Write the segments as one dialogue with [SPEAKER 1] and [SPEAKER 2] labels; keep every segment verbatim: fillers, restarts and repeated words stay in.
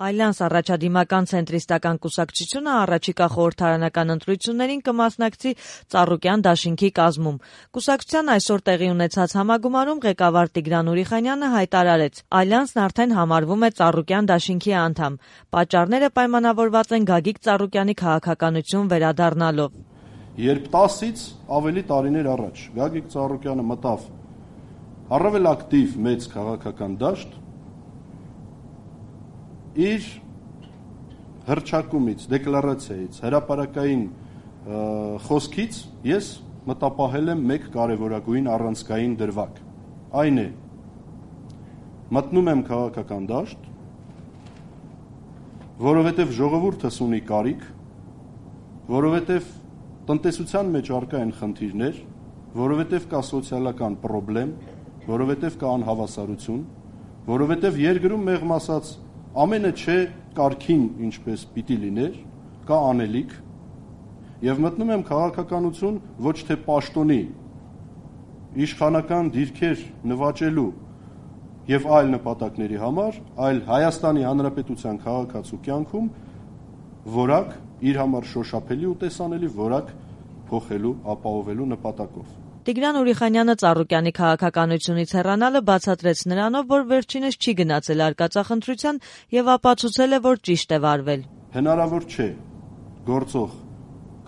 [SPEAKER 1] Ալյանս առաջադիմական ցենտրիստական կուսակցությունը առաջիկա խորհրդարանական ընտրություններին կմասնակցի Ծառուկյան դաշինքի կազմում։ Կուսակցության այսօր տեղի ունեցած համագումարում ղեկավար Տիգրան Ուրիխանյանը հայտարարեց. Ալյանսն արդեն համարվում է Ծառուկյան դաշինքի անդամ։ Պատճառները պայմանավորված են Գագիկ Ծառուկյանի քաղաքականություն վերադառնալով։
[SPEAKER 2] Երբ տասից ավելի տարիներ առաջ Գագիկ Ծառուկյանը մտավ առավել ակտիվ մեծ քաղաքական դաշտ, իր հռչակումից, դեկլարացիայից, հրապարակային խոսքից ես մտապահել եմ մեկ կարևորագույն առանցքային դրվագ։ Այն է, մտնում եմ քաղաքական դաշտ, որովհետև ժողովուրդս ունի կարիք, որովհետև տնտեսության մեջ առկա են խնդիրներ, որովհետև կա սոցիալական պրոբլեմ, որովհետև կա անհավասարություն, որովհետև երկրում մեղմ ասած ամենը չէ կարգին ինչպես պիտի լիներ, կա անելիք, եւ մտնում եմ քաղաքականություն ոչ թե պաշտոնի, իշխանական դիրքեր նվաճելու եւ այլ նպատակների համար, այլ Հայաստանի Հանրապետության քաղաքացու կյանքում որակ իր համար շոշափելի ու տեսանելի որակ փոխելու, ապահովելու նպատակով։
[SPEAKER 1] Տիգրան Ուրիխանյանը Ծառուկյանի քաղաքականությունից հեռանալը բացատրեց նրանով, որ վերջինս չի գնացել արկածախնդրության եւ ապացուցել է, որ ճիշտ է վարվել։
[SPEAKER 2] Հնարավոր չէ գործող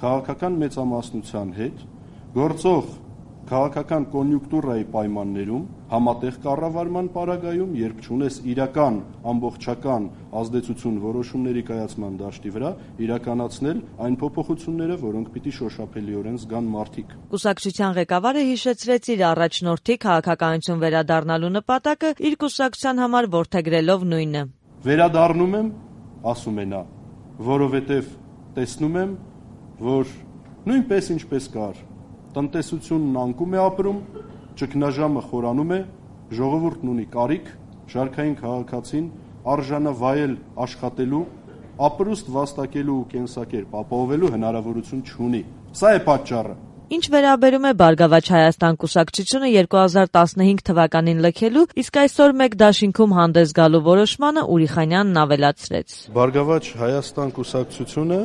[SPEAKER 2] քաղաքական մեծամասնության հետ, գործող քաղաքական կոնյուկտուրայի պայմաններում, համատեղ կառավարման պարագայում, երբ չունես իրական ամբողջական ազդեցություն որոշումների կայացման դաշտի վրա, իրականացնել այն փոփոխությունները, որոնք պիտի շոշափելիորեն զգան մարդիկ։
[SPEAKER 1] Կուսակցության ղեկավարը հիշեցրեց իր առաջնորդի քաղաքականություն վերադառնալու նպատակը, իր կուսակցության համար որդեգրելով նույնը։
[SPEAKER 2] Վերադառնում եմ, ասում է նա, որովհետև տեսնում եմ, որ նույնպես ինչպես կար, տնտեսությունն անկում է ապրում, ճգնաժամը խորանում է, ժողովուրդն ունի կարիք, շարքային քաղաքացին արժանավայել աշխատելու, ապրուստ վաստակելու ու կենսակերպ ապահովելու հնարավորություն չունի։ Սա է պատճառը։
[SPEAKER 1] Ինչ վերաբերում է Բարգավաճ Հայաստան կուսակցությունը երկու հազար տասնհինգ թվականին լքելու, իսկ այսօր մեկ դաշինքում հանդես գալու որոշմանը Ուրիխանյանն ավելացրեց.
[SPEAKER 2] Բարգավաճ Հայաստան կուսակցությունը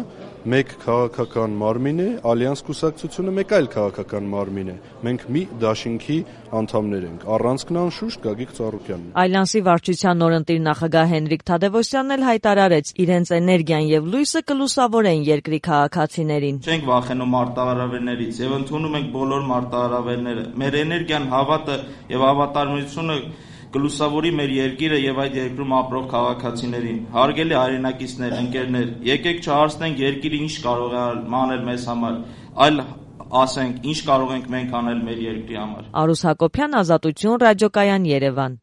[SPEAKER 2] մեկ քաղաքական մարմին է, Ալյանս կուսակցությունը մեկ այլ քաղաքական մարմին է։ Մենք մի դաշինքի անդամներ ենք, առանցքն անշուշտ Գագիկ Ծառուկյանն է։
[SPEAKER 1] Ալյանսի վարչության նորընտիր նախագահ Հենրիկ Թադևոսյանն էլ հայտարարեց, իրենց էներգիան եւ լույսը կլուսավորեն երկրի քաղաքացիներին։
[SPEAKER 3] Չենք վախենում մարտահրավերներից եւ ընդունում ենք բոլոր մարտահրավերները։ Մեր էներգիան, հավատը եւ հավատարմությունը կլուսավորի մեր երկիրը եւ այդ երկրում ապրող քաղաքացիներին։ Հարգելի հայրենակիցներ, ընկերներ, եկեք չհարցնենք երկիրը ինչ կարող է անել մեզ համար, այլ ասենք ինչ կարող ենք մենք անել մեր երկրի համար։
[SPEAKER 1] Արուս Հակոբյան, Ազատություն, Ռադիոկայան, Երևան։